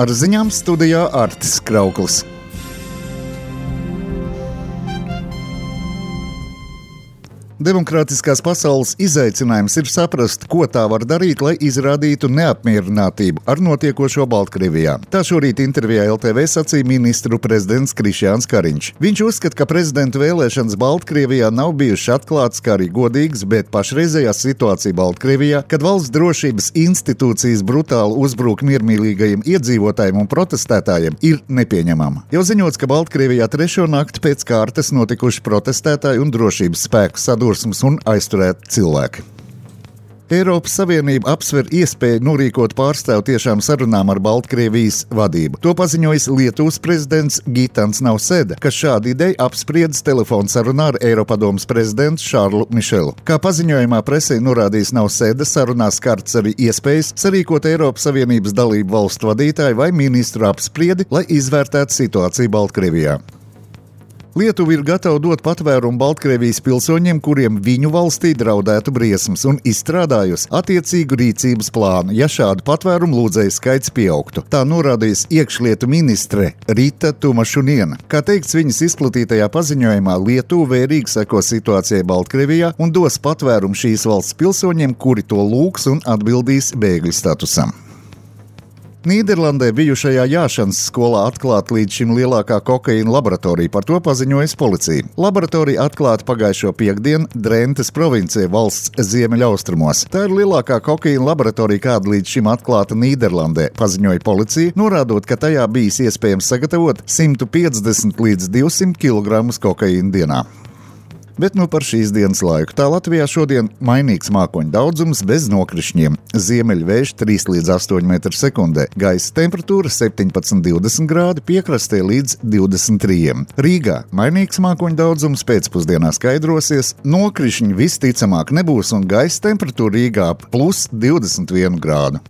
Ar ziņām studijā Artis Krauklis. Demokrātiskās pasaules izaicinājums ir saprast, ko tā var darīt, lai izrādītu neapmierinātību ar notiekošo Baltkrievijā. Tā šorīt intervijā LTV sacīja ministru prezidents Krišjāns Kariņš. Viņš uzskata, ka prezidenta vēlēšanas Baltkrievijā nav bijušas atklātas, kā arī godīgas, bet pašreizējā situācija Baltkrievijā, kad valsts drošības institūcijas brutāli uzbruk miermīlīgajiem iedzīvotājiem un protestētājiem, ir nepieņemama. Jau ziņots, ka Baltkrievijā trešo nakti pēc kārtas notikuši protestētāji un drošības spēku sadursmes un aizturēt cilvēki. Eiropas Savienība apsver iespēju norīkot pārstāvu tiešām sarunām ar Baltkrievijas vadību. To paziņojis Lietuvas prezidents Gitans Nausēda, kas šādu ideju apspriedis telefonu sarunā ar Eiropadomes prezidentu Šārlu Mišelu. Kā paziņojumā presē norādījis Nausēda, sarunās skarts arī iespējas sarīkot Eiropas Savienības dalību valstu vadītāju vai ministru apspriedi, lai izvērtētu situāciju Baltkrievijā. Lietuva ir gatava dot patvērumu Baltkrievijas pilsoņiem, kuriem viņu valstī draudētu briesmas, un izstrādājusi attiecīgu rīcības plānu, ja šādu patvērumu lūdzēju skaits pieaugtu. Tā norādījis iekšlietu ministre Rita Tumašuniena. Kā teikts viņas izplatītajā paziņojumā, Lietuva vērīgi seko situācijai Baltkrievijā un dos patvērumu šīs valsts pilsoņiem, kuri to lūgs un atbildīs bēgļu statusam. Nīderlandē bijušajā jāšanas skolā atklāta līdz šim lielākā kokaīna laboratorija, par to paziņojas policija. Laboratorija atklāta pagājušo piektdienu Drentes provincē valsts ziemeļaustrumos. Tā ir lielākā kokaīna laboratorija, kāda līdz šim atklāta Nīderlandē, paziņoja policija, norādot, ka tajā bijis iespējams sagatavot 150 līdz 200 kg kokaīna dienā. Bet par šīs dienas laiku. Tā Latvijā šodien mainīgs mākoņu daudzums bez nokrišņiem. Ziemeļvējš 3 līdz 8 metru sekundē. Gaisa temperatūra 17–20 grādi, piekrastē līdz 23. Rīgā mainīgs mākoņu daudzums, pēcpusdienā skaidrosies. Nokrišņi visticamāk nebūs un gaisa temperatūra Rīgā +21 grādu.